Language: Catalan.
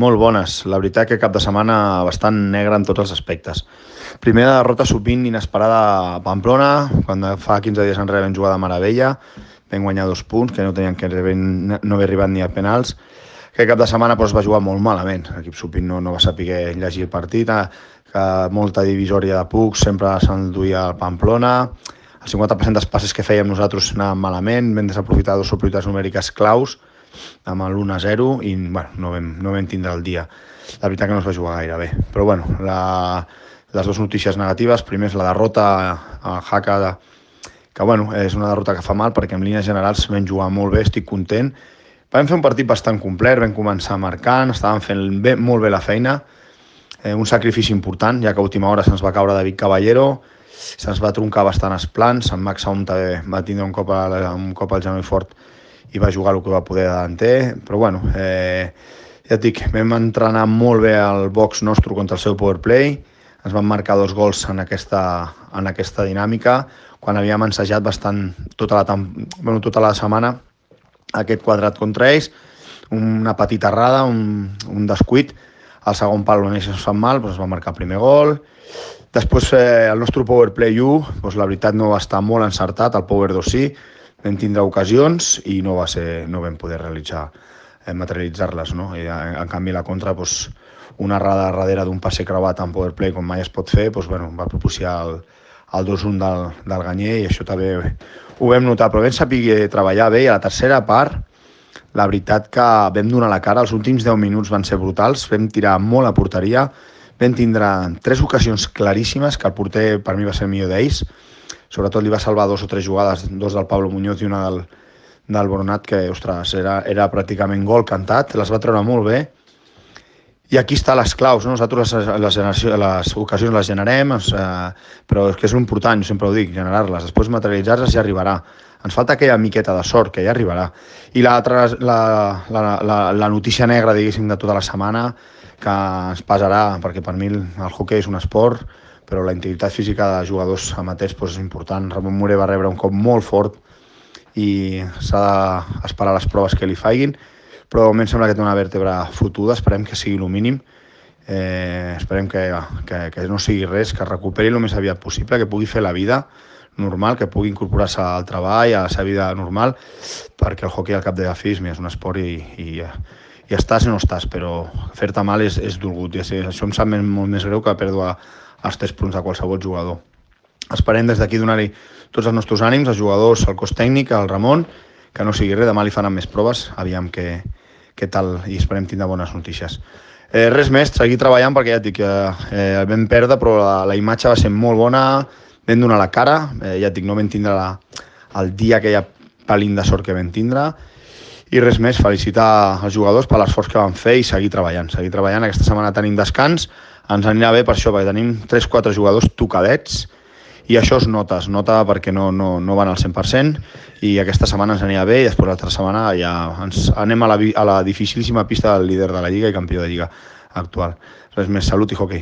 Molt bones. La veritat que cap de setmana bastant negre en tots els aspectes. Primera derrota sovint inesperada a Pamplona, quan fa 15 dies enrere vam jugar de meravella, vam guanyar 2 punts, que no tenien que no haver arribat ni a penals. Aquest cap de setmana va jugar molt malament. L'equip supint no va saber llegir el partit, que molta divisòria de pucs, sempre s'enduia al Pamplona. El 50% dels passes que fèiem nosaltres anaven malament, vam desaprofitar 2 oportunitats numèriques claus, amb l'1-0 i no vam tindre el dia. La veritat que no es va jugar gaire bé. Però les dues notícies negatives, primer és la derrota a Jaca, que és una derrota que fa mal perquè en línies generals vam jugar molt bé, estic content. Vam fer un partit bastant complet, vam començar marcant, estàvem fent molt bé la feina, un sacrifici important, ja que a última hora se'ns va caure David Caballero, se'ns va troncar bastant els plans, en Max Saum també va tindre un cop al genoll fort i va jugar el que va poder davanter, però ja et dic, vam entrenar molt bé al box nostre contra el seu powerplay, ens van marcar 2 gols en aquesta dinàmica, quan havíem ensajat bastant tota la setmana aquest quadrat contra ells, una petita errada, un descuit, al segon pal on ells ens fan mal, es va marcar el primer gol. Després el nostre powerplay 1, la veritat no va estar molt encertat, el power 2 sí, vam tindre ocasions i no vam poder materialitzar-les, no? I en canvi la contra, una errada darrere d'un passe creuat en powerplay com mai es pot fer, va propiciar el 2-1 del Ganyer i això també ho vam notar, però vam saber treballar bé i a la tercera part la veritat que vam donar la cara, els últims 10 minuts van ser brutals, vam tirar molt a porteria, vam tindre 3 ocasions claríssimes, que el porter per mi va ser el millor d'ells, sobretot li va salvar 2 o 3 jugades, 2 del Pablo Muñoz i una del Boronat, que, ostres, era pràcticament gol cantat, les va treure molt bé. I aquí està les claus, no? Nosaltres les ocasions les generem, però és que és important, jo sempre ho dic, generar-les, després materialitzar-les ja arribarà. Ens falta aquella miqueta de sort, que ja arribarà. I l'altra, la notícia negra, diguéssim, de tota la setmana, que ens pesarà, perquè per mi el hoquei és un esport, però la integritat física de jugadors amateurs és important. Ramon Morer va rebre un cop molt fort i s'ha d'esperar les proves que li faiguin, però de moment sembla que té una vèrtebra fotuda, esperem que sigui el mínim, esperem que no sigui res, que es recuperi el més aviat possible, que pugui fer la vida normal, que pugui incorporar-se al treball, a la seva vida normal, perquè el hoquei al cap de la fi és un esport i estàs o no estàs, però fer-te mal és dolgut, i això em sap molt més greu que perdre els 3 punts de qualsevol jugador. Esperem des d'aquí donar-hi tots els nostres ànims, els jugadors, el cos tècnic, el Ramon, que no sigui res, demà li faran més proves, aviam què tal, i esperem tindre bones notícies. Res més, seguir treballant, perquè ja et dic, vam perdre, però la imatge va ser molt bona, vam donar la cara, ja et dic, no vam tindre el dia aquella pelín de sort que vam tindre, i res més, felicitar els jugadors per l'esforç que van fer i seguir treballant. Aquesta setmana tenim descans, ens anirà bé per això, perquè tenim 3-4 jugadors tocadets, i això es nota perquè no van al 100%, i aquesta setmana ens anirà bé, i després l'altra setmana ja anem a la dificilíssima pista del líder de la Lliga i campió de Lliga actual. Res més, salut i hoquei.